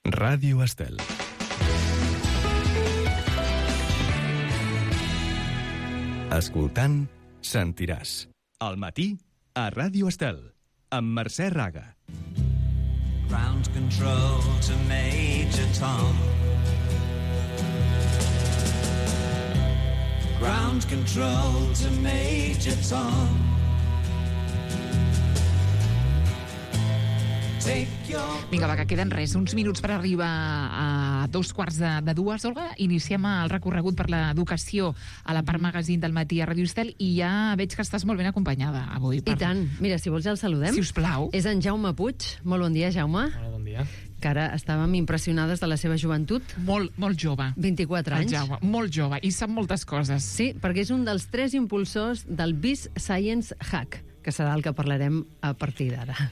Ràdio Estel. Escoltant, sentiràs. Al matí, a Ràdio Estel, amb Mercè Raga. Ground control to Major Tom. Ground control to Major Tom. Vinga, va, que queden uns minuts per arribar a 2:15. Olga, iniciem el recorregut per l'educació a la part magazín del matí a Ràdio Estel i ja veig que estàs molt ben acompanyada avui. I tant. Mira, si vols ja el saludem. Si us plau. És en Jaume Puig. Molt bon dia, Jaume. Hola, bon dia. Que ara estàvem impressionades de la seva joventut. Molt jove. 24 anys. Jaume, molt jove, i sap moltes coses. Sí, perquè és un dels 3 impulsors del BIS Science Hack, que serà el que parlarem a partir d'ara.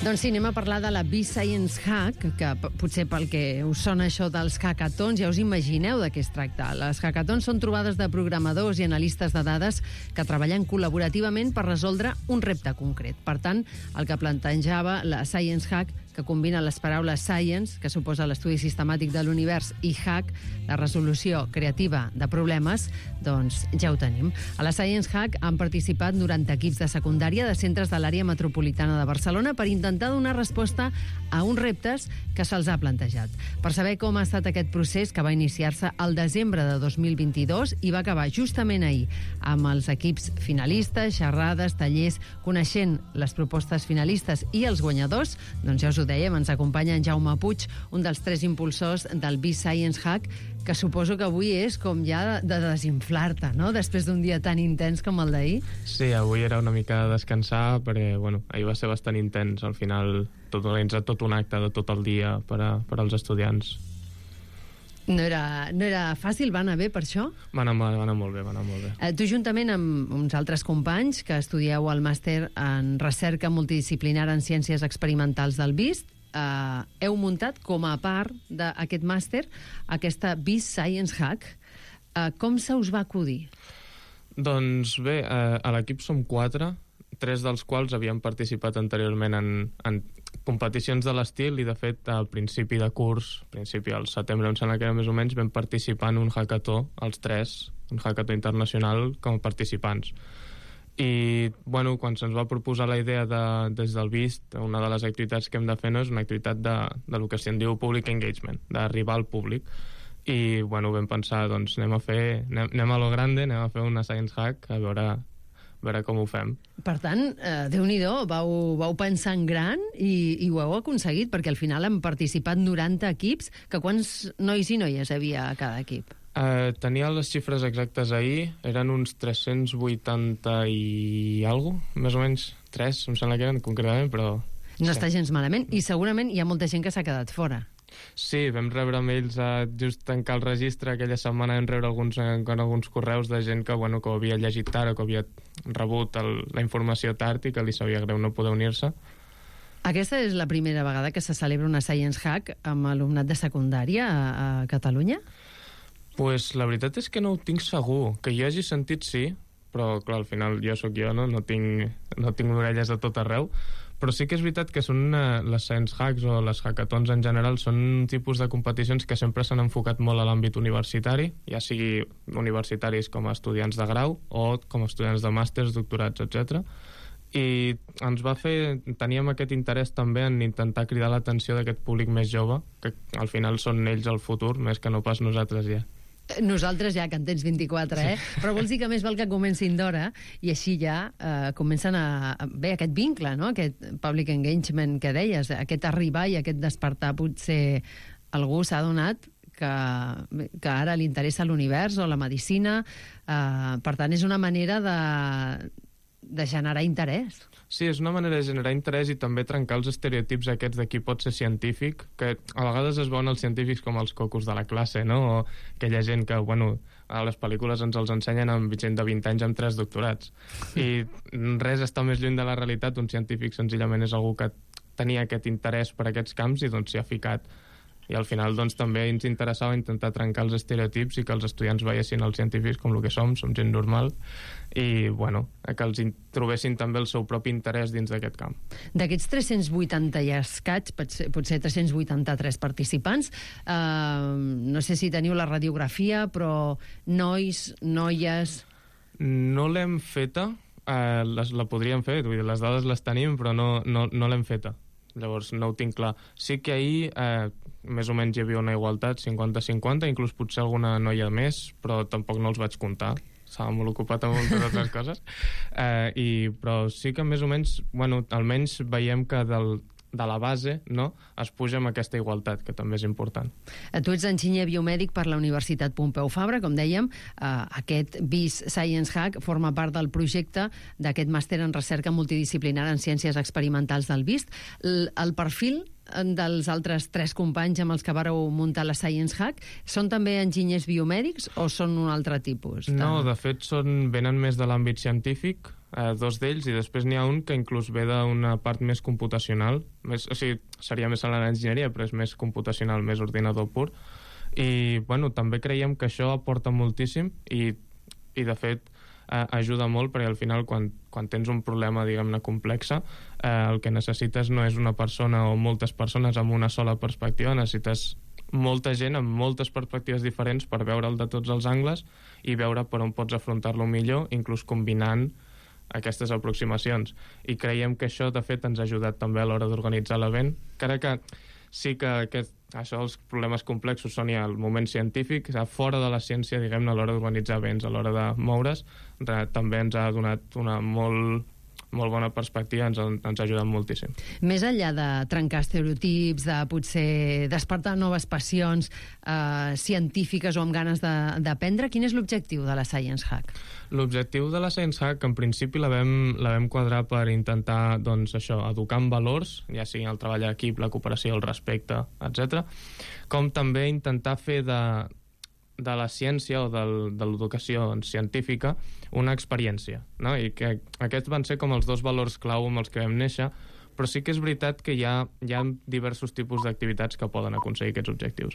Doncs sí, anem a parlar de la B-Science Hack, que potser pel que us sona això dels hackathons ja us imagineu de què es tracta. Les hackathons són trobades de programadors i analistes de dades que treballen col·laborativament per resoldre un repte concret. Per tant, el que plantejava la Science Hack, que combina les paraules science, que suposa l'estudi sistemàtic de l'univers, i hack, la resolució creativa de problemes, doncs ja ho tenim. A la Science Hack han participat 90 equips de secundària de centres de l'àrea metropolitana de Barcelona per intentar donar resposta a uns reptes que se'ls ha plantejat. Per saber com ha estat aquest procés, que va iniciar-se al desembre de 2022 i va acabar justament ahir amb els equips finalistes, xerrades, tallers, coneixent les propostes finalistes i els guanyadors, doncs ja us ho dèiem, ens acompanya en Jaume Puig, un dels 3 impulsors del B-Science Hack, que suposo que avui és com ja de desinflar-te, no?, després d'un dia tan intens com el d'ahir. Sí, avui era una mica de descansar, perquè, ahir va ser bastant intens, al final, organitzar tot un acte de tot el dia per als estudiants. No era fàcil, va anar bé per això? Va anar molt bé. Tu, juntament amb uns altres companys que estudieu el màster en recerca multidisciplinar en ciències experimentals del BIST, heu muntat com a part d'aquest màster aquesta BIST Science Hack. Com se us va acudir? Doncs bé, a l'equip som 4, 3 dels quals havien participat anteriorment en competicions de l'estil, i de fet al principi de curs, al setembre em sembla que era més o menys, vam participar en un hackathon, els 3, un hackathon internacional com a participants. I quan se'ns va proposar la idea des del BIST, una de les activitats que hem de fer no és una activitat de lo que se'n diu public engagement, d'arribar al públic, i vam pensar, doncs anem a lo grande, anem a fer una Science Hack, a veure com ho fem. Per tant, Déu-n'hi-do, vau pensar en gran i ho heu aconseguit, perquè al final han participat 90 equips. Que quants nois i noies havia a cada equip? Tenia les xifres exactes ahir, eren uns 380 i alguna cosa, més o menys 3, em sembla que eren concretament, però... No està gens malament, i segurament hi ha molta gent que s'ha quedat fora. Sí, vam rebre mails just tancar el registre aquella setmana, vam rebre alguns correus de gent que ho havia llegit tard o que havia rebut la informació tard i que li sabia greu no poder unir-se. Aquesta és la primera vegada que se celebra una Science Hack amb alumnat de secundària a Catalunya? Pues la veritat és que no ho tinc segur. Que jo hagi sentit sí, però clar, al final jo sóc jo, no tinc orelles a tot arreu, però sí que és veritat que són les Science Hacks o les hackathons en general són un tipus de competicions que sempre s'han enfocat molt a l'àmbit universitari, ja sigui universitaris com a estudiants de grau o com a estudiants de màsters, doctorats, etc. I teníem aquest interès també en intentar cridar l'atenció d'aquest públic més jove, que al final són ells el futur, més que no pas nosaltres ja. Nosaltres ja, que en tens 24, sí. Però vols dir que més val que comencin d'hora i així ja comencen bé, aquest vincle, no? Aquest public engagement que deies, aquest arribar i aquest despertar. Potser algú s'ha adonat que ara li interessa l'univers o la medicina, per tant és una manera de generar interès. Sí, és una manera de generar interès i també trencar els estereotips aquests de qui pot ser científic, que a vegades es veuen els científics com els cocos de la classe, no? O aquella gent que, bueno, a les pel·lícules ens els ensenyen amb gent de 20 anys amb 3 doctorats. I res està més lluny de la realitat. Un científic senzillament és algú que tenia aquest interès per aquests camps i doncs s'hi ha ficat. I al final doncs, també ens interessava intentar trencar els estereotips i que els estudiants veiessin els científics com el que som gent normal, i bueno, que els trobessin també el seu propi interès dins d'aquest camp. D'aquests 380 i escaig, potser 383 participants, no sé si teniu la radiografia, però nois, noies... No l'hem feta, la podríem fer, vull dir, les dades les tenim, però no l'hem feta. Llavors no ho tinc clar. Sí que ahir més o menys hi havia una igualtat 50-50, inclús potser alguna noia més, però tampoc no els vaig comptar, estava molt ocupat amb moltes altres coses, però sí que més o menys, bueno, almenys veiem que de la base, no?, es puja amb aquesta igualtat, que també és important. Tu ets enginyer biomèdic per la Universitat Pompeu Fabra, com dèiem. Aquest BIS Science Hack forma part del projecte d'aquest màster en recerca multidisciplinar en ciències experimentals del BIST. El perfil dels altres 3 companys amb els que vareu muntar la Science Hack són també enginyers biomèdics o són un altre tipus? No, de fet venen més de l'àmbit científic, 2 d'ells, i després n'hi ha un que inclús ve d'una part més computacional, o sigui, seria més a l'enginyeria, però és més computacional, més ordinador pur, i bueno, també creiem que això aporta moltíssim i de fet ajuda molt, perquè al final quan tens un problema, diguem-ne, complexa, el que necessites no és una persona o moltes persones amb una sola perspectiva, necessites molta gent amb moltes perspectives diferents per veure'l de tots els angles i veure per on pots afrontar-lo millor, inclús combinant aquestes aproximacions. I creiem que això, de fet, ens ha ajudat també a l'hora d'organitzar l'event, encara que sí que els problemes complexos són ja el moment científic, fora de la ciència, diguem-ne, a l'hora d'organitzar events, a l'hora de moure's, també ens ha donat una molt bona perspectiva, ens ha ajudat moltíssim. Més enllà de trencar estereotips, de potser despertar noves passions científiques o amb ganes d'aprendre, quin és l'objectiu de la Science Hack? L'objectiu de la Science Hack, en principi, la vam quadrar per intentar, doncs, això, educar en valors, ja sigui el treball d'equip, la cooperació, el respecte, etc., com també intentar fer de la ciència o de l'educació científica una experiència, no? I que aquests van ser com els 2 valors clau amb els que vam néixer, però sí que és veritat que hi ha diversos tipus d'activitats que poden aconseguir aquests objectius.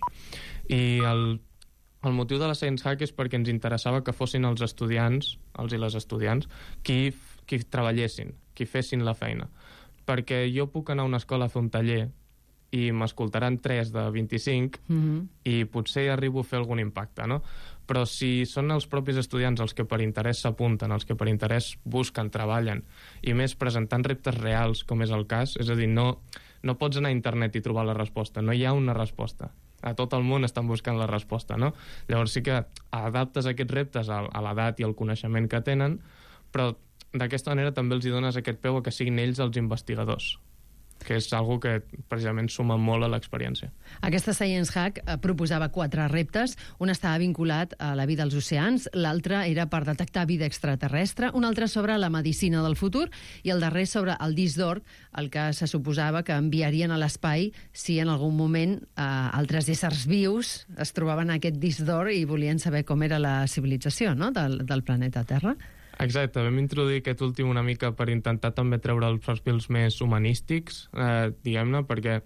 I el motiu de la Science Hack és perquè ens interessava que fossin els estudiants, els i les estudiants, qui treballessin, qui fessin la feina. Perquè jo puc anar a una escola a fer un taller i m'escoltaran 3 de 25 i potser arribo a fer algun impacte, no? Però si són els propis estudiants els que per interès s'apunten, els que per interès busquen, treballen, i més presentant reptes reals, com és el cas, és a dir, no pots anar a internet i trobar la resposta, no hi ha una resposta. A tot el món estan buscant la resposta, no? Llavors sí que adaptes aquests reptes a l'edat i al coneixement que tenen, però d'aquesta manera també els dones aquest peu a que siguin ells els investigadors, que és algo que precisament suma molt a l'experiència. Aquesta Science Hack proposava 4 reptes. Un estava vinculat a la vida als oceans, l'altre era per detectar vida extraterrestre, un altre sobre la medicina del futur i el darrer sobre el disc d'or, el que se suposava que enviarien a l'espai si en algun moment altres éssers vius es trobaven en aquest disc d'or i volien saber com era la civilització, no?, del planeta Terra. Exacte, vam introduir aquest últim una mica per intentar també treure els perfils més humanístics, diguem-ne, perquè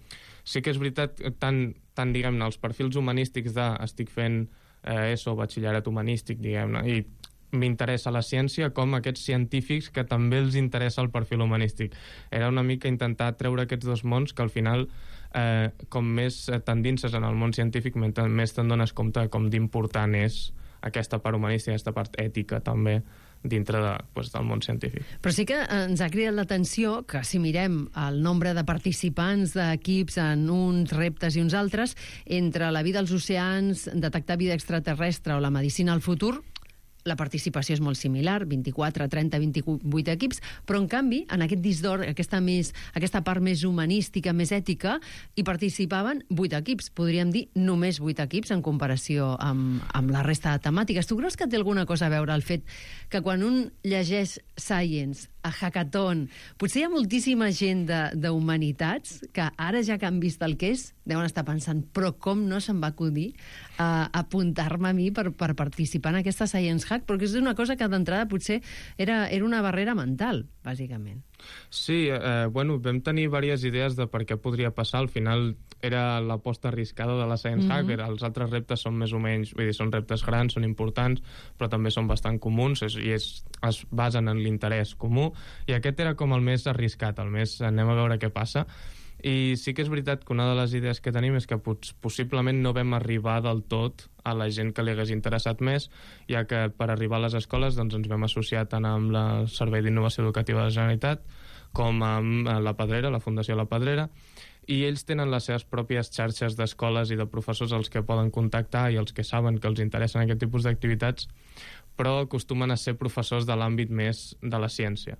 sí que és veritat, tant diguem-ne, els perfils humanístics estic fent ESO, batxillerat humanístic, diguem-ne, i m'interessa la ciència, com aquests científics que també els interessa el perfil humanístic. Era una mica intentar treure aquests 2 mons que al final, com més t'endinses en el món científic, més te'n dones compte com d'important és aquesta part humanística, aquesta part ètica també, dintre del món científic. Però sí que ens ha cridat l'atenció que si mirem el nombre de participants d'equips en uns reptes i uns altres, entre la vida als oceans, detectar vida extraterrestre o la medicina al futur, la participació és molt similar, 24, 30, 28 equips, però en canvi, en aquest disc d'or, aquesta part més humanística, més ètica, hi participaven 8 equips, podríem dir només 8 equips en comparació amb la resta de temàtiques. Tu creus que té alguna cosa a veure el fet que quan un llegeix Science a Hackathon, potser hi ha moltíssima gent d'humanitats que ara ja que han vist el que és, deuen estar pensant, però com no se'm va acudir a apuntar-me a mi per participar en aquesta Science Hack? Perquè és una cosa que d'entrada potser era una barrera mental, bàsicament. Sí, vam tenir diverses idees de per què podria passar. Al final era l'aposta arriscada de la Science Hack. Els altres reptes són més o menys, vull dir, són reptes grans, són importants, però també són bastant comuns i es basen en l'interès comú. I aquest era com el més arriscat, el més anem a veure què passa. I sí que és veritat que una de les idees que tenim és que possiblement no vam arribar del tot a la gent que li hagués interessat més, ja que per arribar a les escoles doncs, ens vam associar tant amb el Servei d'Innovació Educativa de la Generalitat com amb la Pedrera, la Fundació La Pedrera, i ells tenen les seves pròpies xarxes d'escoles i de professors als que poden contactar i els que saben que els interessen aquest tipus d'activitats, però acostumen a ser professors de l'àmbit més de la ciència.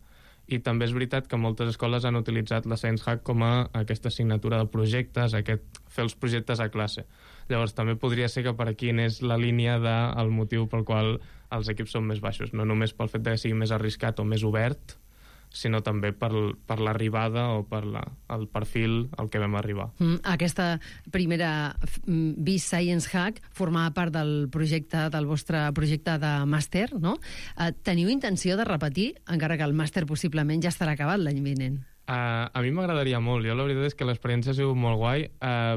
I també és veritat que moltes escoles han utilitzat la Science Hack com a aquesta assignatura de projectes, fer els projectes a classe. Llavors també podria ser que per aquí anés la línia del motiu pel qual els equips són més baixos, no només pel fet que sigui més arriscat o més obert, sinó també per l'arribada o per el perfil al que vam arribar. Aquesta primera BIS Science Hack formava part del vostre projecte de màster, no? Teniu intenció de repetir, encara que el màster possiblement ja estarà acabat l'any vinent? A mi m'agradaria molt. Jo la veritat és que l'experiència ha sigut molt guai,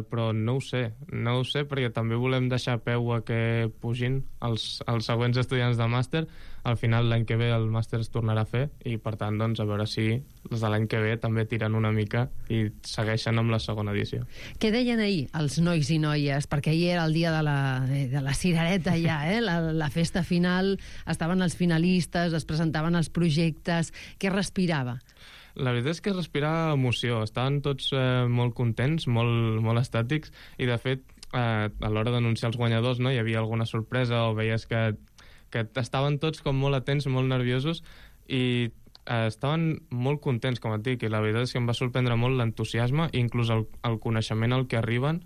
però no ho sé. No ho sé perquè també volem deixar peu a que pugin els següents estudiants de màster. Al final l'any que ve el màster es tornarà a fer i per tant doncs, a veure si els de l'any que ve també tiren una mica i segueixen amb la segona edició. Què deien ahir els nois i noies? Perquè ahir era el dia de la cirereta ja, la festa final, estaven els finalistes, es presentaven els projectes. Què respirava? La veritat és que es respirava emoció. Estaven tots molt contents, molt estàtics, i de fet, a l'hora d'anunciar els guanyadors, no, hi havia alguna sorpresa o veies que estaven tots com molt atents, molt nerviosos, i estaven molt contents, com et dic, i la veritat és que em va sorprendre molt l'entusiasme i inclús el coneixement al que arriben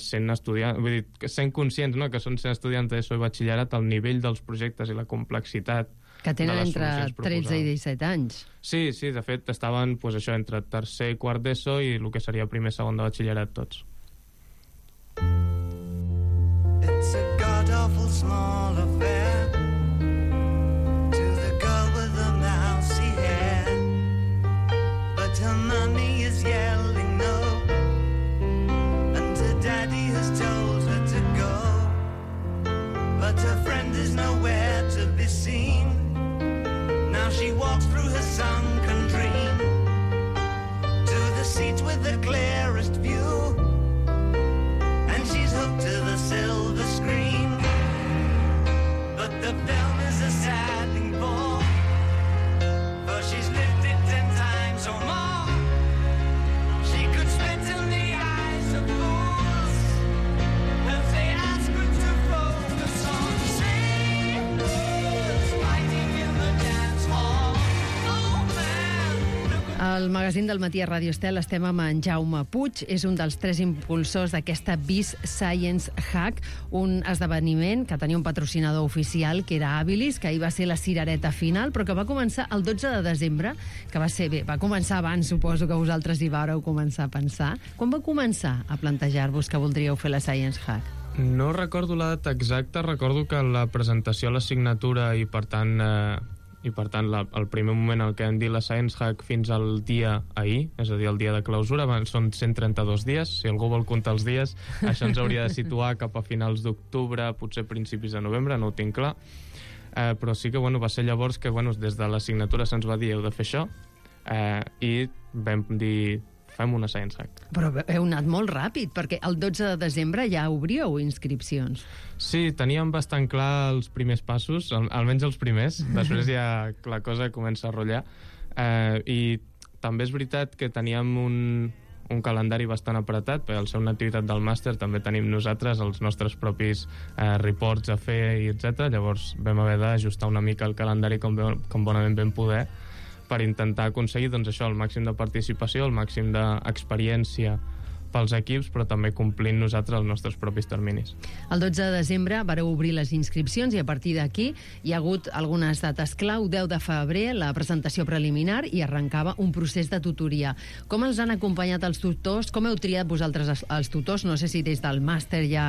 sent estudiants, vull dir, sent conscients, no?, que són estudiants d'ESO i batxillerat, el nivell dels projectes i la complexitat que tenen entre 13 i 17 anys. Sí, de fet, estaven això entre tercer i quart d'ESO i el que seria primer i segon de batxillerat tots. It's a god-awful small affair to the girl with the mousy hair, but her mommy is yelling no, and her daddy has told her to go, but her friend is nowhere to be seen. Now she walks through her sunken dream to the seat with the clearest view, and she's hooked to the silver screen. But the film is a sad thing for she's lived it 10 times or more. She could spit in the eyes of fools if they ask her to focus on sailors fighting in the dance hall. Oh man, Al magazín del Matí a Ràdio Estel estem amb en Jaume Puig, és un dels 3 impulsors d'aquesta BIS Science Hack, un esdeveniment que tenia un patrocinador oficial, que era Habilis, que ahir va ser la cirereta final, però que va començar el 12 de desembre, que va ser bé, va començar abans, suposo que vosaltres hi vàreu començar a pensar. Quan va començar a plantejar-vos que voldríeu fer la Science Hack? No recordo la data exacta, recordo que la presentació a la signatura i per tant el primer moment en què hem dit la Science Hack fins al dia ahir, és a dir, el dia de clausura, són 132 dies, si algú vol comptar els dies, això ens hauria de situar cap a finals d'octubre, potser principis de novembre, no ho tinc clar, però sí que va ser llavors que des de la signatura se'ns va dir heu de fer això, i vam dir fem una Science Hack. Però heu anat molt ràpid, perquè el 12 de desembre ja obríeu inscripcions. Sí, teníem bastant clar els primers passos, almenys els primers, després ja la cosa comença a rotllar, i també és veritat que teníem un calendari bastant apretat, perquè al ser una activitat del màster també tenim nosaltres els nostres propis reports a fer, i etc. Llavors vam haver d'ajustar una mica el calendari com bonament vam poder, per intentar aconseguir doncs, això, el màxim de participació, el màxim d'experiència pels equips, però també complint nosaltres els nostres propis terminis. El 12 de desembre vareu obrir les inscripcions i a partir d'aquí hi ha hagut algunes dates clau. 10 de febrer, la presentació preliminar, i arrencava un procés de tutoria. Com els han acompanyat els tutors? Com heu triat vosaltres els tutors? No sé si des del màster ja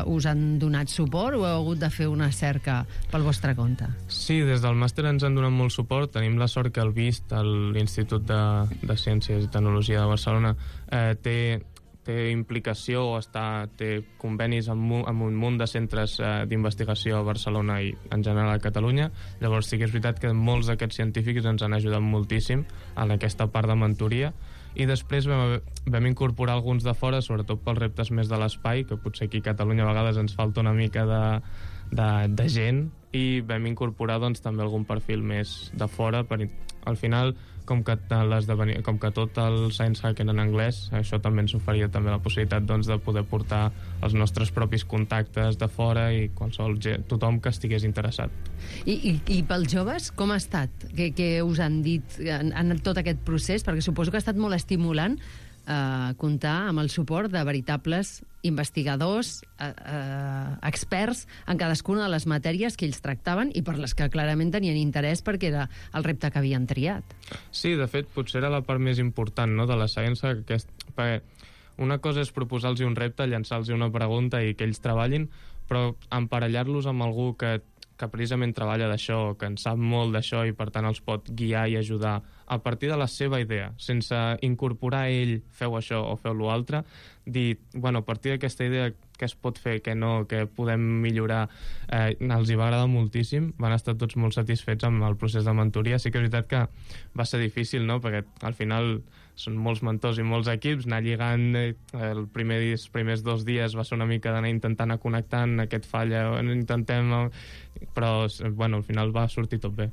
us han donat suport o heu hagut de fer una cerca pel vostre compte. Sí, des del màster ens han donat molt suport. Tenim la sort que el VIST, l'Institut de Ciències i Tecnologia de Barcelona, té implicació o té convenis amb un munt de centres d'investigació a Barcelona i en general a Catalunya. Llavors sí que és veritat que molts d'aquests científics ens han ajudat moltíssim en aquesta part de mentoria, i després vam incorporar alguns de fora, sobretot pels reptes més de l'espai, que potser aquí a Catalunya a vegades ens falta una mica de gent, i vam incorporar doncs, també algun perfil més de fora. Al final, com que tot el Science Hack era en anglès, això també ens oferia també la possibilitat doncs, de poder portar els nostres propis contactes de fora i tothom que estigués interessat. I pels joves, com ha estat? Què us han dit en tot aquest procés? Perquè suposo que ha estat molt estimulant comptar amb el suport de veritables investigadors, experts en cadascuna de les matèries que ells tractaven i per les que clarament tenien interès perquè era el repte que havien triat. Sí, de fet, potser era la part més important, no?, de la ciència, perquè una cosa és proposar-los un repte, llançar-los una pregunta i que ells treballin, però emparellar-los amb algú que precisament treballa d'això, que en sap molt d'això i per tant els pot guiar i ajudar a partir de la seva idea, sense incorporar ell feu això o feu l'altre, dir, bueno, a partir d'aquesta idea què es pot fer, què no, què podem millorar, els hi va agradar moltíssim, van estar tots molt satisfets amb el procés de mentoria. Sí que és veritat que va ser difícil, no?, perquè al final són molts mentors i molts equips, anar lligant els primers 2 dies va ser una mica d'anar intentant anar connectant, aquest falla, però bueno, al final va sortir tot bé.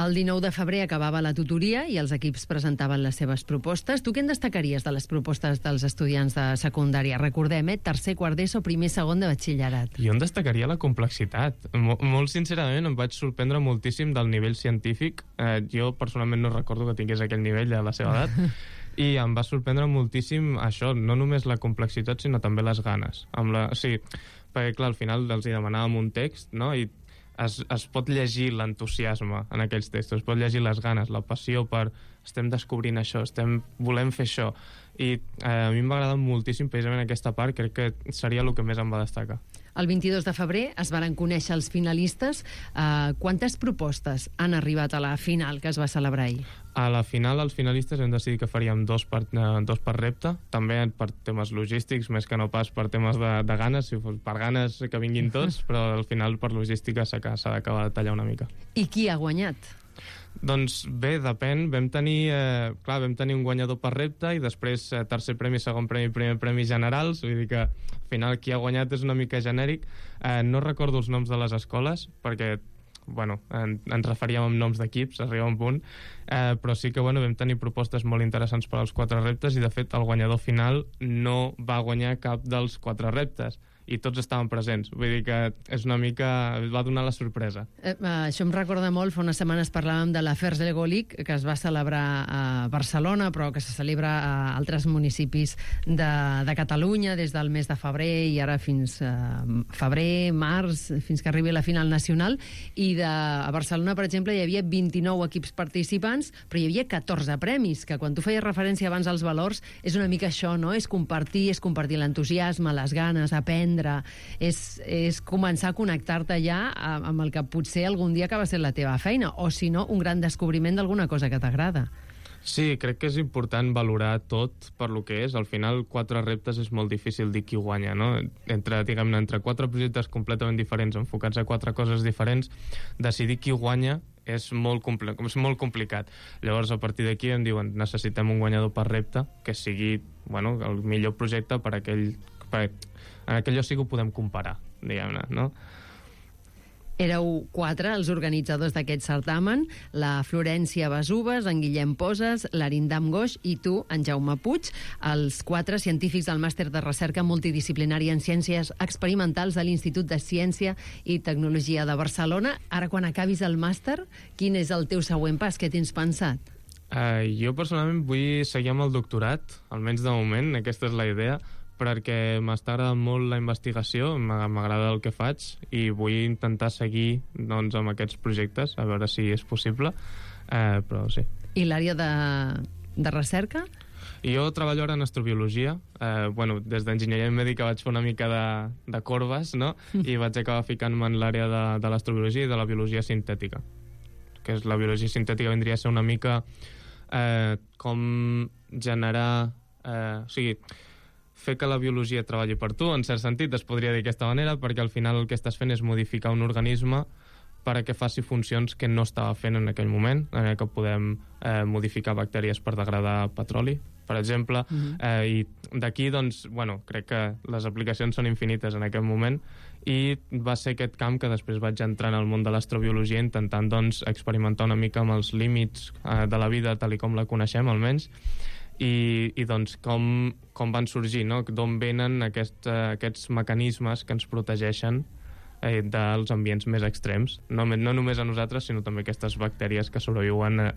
El 19 de febrer acabava la tutoria i els equips presentaven les seves propostes. Tu què en destacaries de les propostes dels estudiants de secundària? Recordem, tercer, quart d'ESO, primer, segon de batxillerat. Jo en destacaria la complexitat. Molt sincerament em vaig sorprendre moltíssim del nivell científic. Jo personalment no recordo que tingués aquell nivell a la seva edat. I em va sorprendre moltíssim això, no només la complexitat, sinó també les ganes. Sí, perquè clar, al final els hi demanàvem un text, no?, i es pot llegir l'entusiasme en aquells textos, es pot llegir les ganes, la passió per estem descobrint això, volem fer això, i a mi m'ha agradat moltíssim precisament aquesta part, crec que seria el que més em va destacar. El 22 de febrer es van conèixer els finalistes. Quantes propostes han arribat a la final que es va celebrar ahir? A la final, els finalistes hem decidit que faríem dos per repte, també per temes logístics, més que no pas per temes de ganes, si fos per ganes que vinguin tots, però al final per logística s'ha d'acabar de tallar una mica. I qui ha guanyat? Doncs bé, depèn. Vam tenir un guanyador per repte i després tercer premi, segon premi, primer premi generals, vull dir que al final qui ha guanyat és una mica genèric. No recordo els noms de les escoles perquè ens referíem amb noms d'equips, arriba un punt, però sí que vam tenir propostes molt interessants per als 4 reptes i de fet el guanyador final no va guanyar cap dels 4 reptes i tots estaven presents, vull dir que és una mica... va donar la sorpresa. Això em recorda molt, fa unes setmanes parlàvem de l'Afers Lego League, que es va celebrar a Barcelona, però que se celebra a altres municipis de Catalunya des del mes de febrer i ara fins febrer, març, fins que arribi la final nacional, i a Barcelona, per exemple, hi havia 29 equips participants, però hi havia 14 premis, que quan tu feies referència abans als valors, és una mica això, no? És compartir l'entusiasme, les ganes, aprendre, és començar a connectar-te ja amb el que potser algun dia acaba sent la teva feina, o si no, un gran descobriment d'alguna cosa que t'agrada. Sí, crec que és important valorar tot per lo que és. Al final, 4 reptes és molt difícil dir qui guanya, no? Entre 4 projectes completament diferents, enfocats a 4 coses diferents, decidir qui guanya és molt complicat. Llavors, a partir d'aquí em diuen necessitem un guanyador per repte que sigui el millor projecte en aquell lloc sí que ho podem comparar, diguem-ne, no? Éreu 4 els organitzadors d'aquest certamen, la Florència Besubes, en Guillem Poses, l'Arindam Goix i tu, en Jaume Puig, els 4 científics del màster de recerca multidisciplinària en ciències experimentals de l'Institut de Ciència i Tecnologia de Barcelona. Ara, quan acabis el màster, quin és el teu següent pas? Què tens pensat? Jo personalment vull seguir amb el doctorat, almenys de moment, aquesta és la idea, perquè m'està agradant molt la investigació, m'agrada el que faig i vull intentar seguir doncs, amb aquests projectes, a veure si és possible, però sí. I l'àrea de recerca? Jo treballo ara en astrobiologia. Des d'enginyeria mèdica vaig fer una mica de corbes, no? I vaig acabar ficant-me en l'àrea de l'astrobiologia i de la biologia sintètica. Que és la biologia sintètica vindria a ser una mica com generar... fer que la biologia treballi per tu, en cert sentit, es podria dir d'aquesta manera, perquè al final el que estàs fent és modificar un organisme perquè faci funcions que no estava fent en aquell moment, que podem modificar bactèries per degradar petroli, per exemple, i d'aquí, doncs, crec que les aplicacions són infinites en aquest moment, i va ser aquest camp que després vaig entrar en el món de l'astrobiologia intentant, doncs, experimentar una mica amb els límits de la vida tal com la coneixem, almenys, i doncs com van sorgir, no? D'on venen aquests mecanismes que ens protegeixen dels ambients més extrems, no només a nosaltres, sinó també aquestes bactèries que sobreviuen a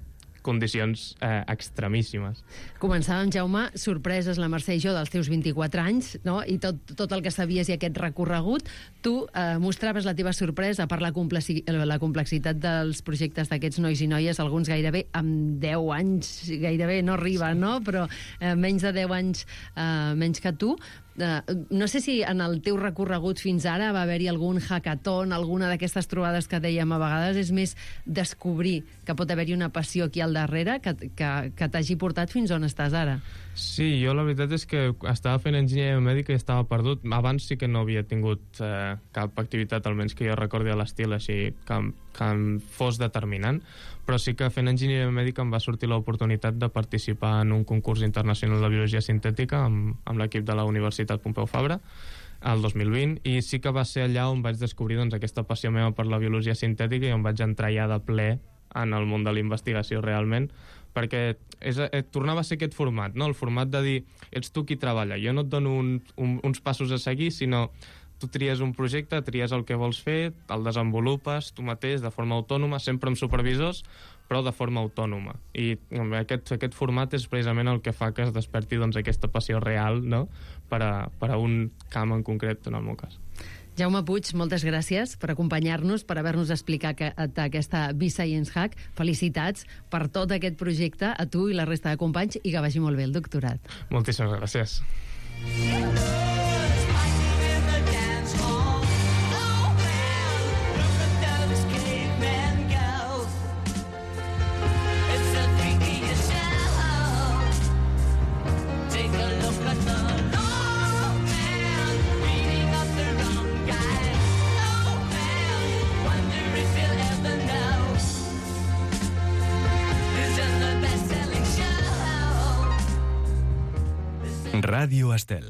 condicions extremíssimes. Començàvem, Jaume, sorpreses la Mercè i jo dels teus 24 anys, no? I tot el que sabies i aquest recorregut. Tu mostraves la teva sorpresa per la complexitat dels projectes d'aquests nois i noies, alguns gairebé amb 10 anys, gairebé no arriba, no? Però menys de 10 anys menys que tu. No sé si en el teu recorregut fins ara va haver-hi algun hackathon, alguna d'aquestes trobades que dèiem a vegades, és més descobrir que pot haver-hi una passió aquí al darrere que t'hagi portat fins on estàs ara. Sí, jo la veritat és que estava fent enginyeria mèdica i estava perdut. Abans sí que no havia tingut cap activitat, almenys que jo recordi a l'estil, així que em fos determinant, però sí que fent enginyeria mèdica em va sortir l'oportunitat de participar en un concurs internacional de biologia sintètica amb l'equip de la Universitat Pompeu Fabra el 2020, i sí que va ser allà on vaig descobrir doncs, aquesta passió meva per la biologia sintètica i on vaig entrar ja de ple en el món de la investigació realment, perquè tornava a ser aquest format, no? El format de dir, ets tu qui treballa, jo no et dono uns passos a seguir, sinó tu tries un projecte, tries el que vols fer, el desenvolupes tu mateix de forma autònoma, sempre amb supervisors, però de forma autònoma. I aquest format és precisament el que fa que es desperti doncs, aquesta passió real, no? per a un camp en concret, en el meu cas. Jaume Puig, moltes gràcies per acompanyar-nos, per haver-nos explicat aquesta B-Science Hack. Felicitats per tot aquest projecte, a tu i la resta de companys, i que vagi molt bé el doctorat. Moltíssimes gràcies. Radio Estel.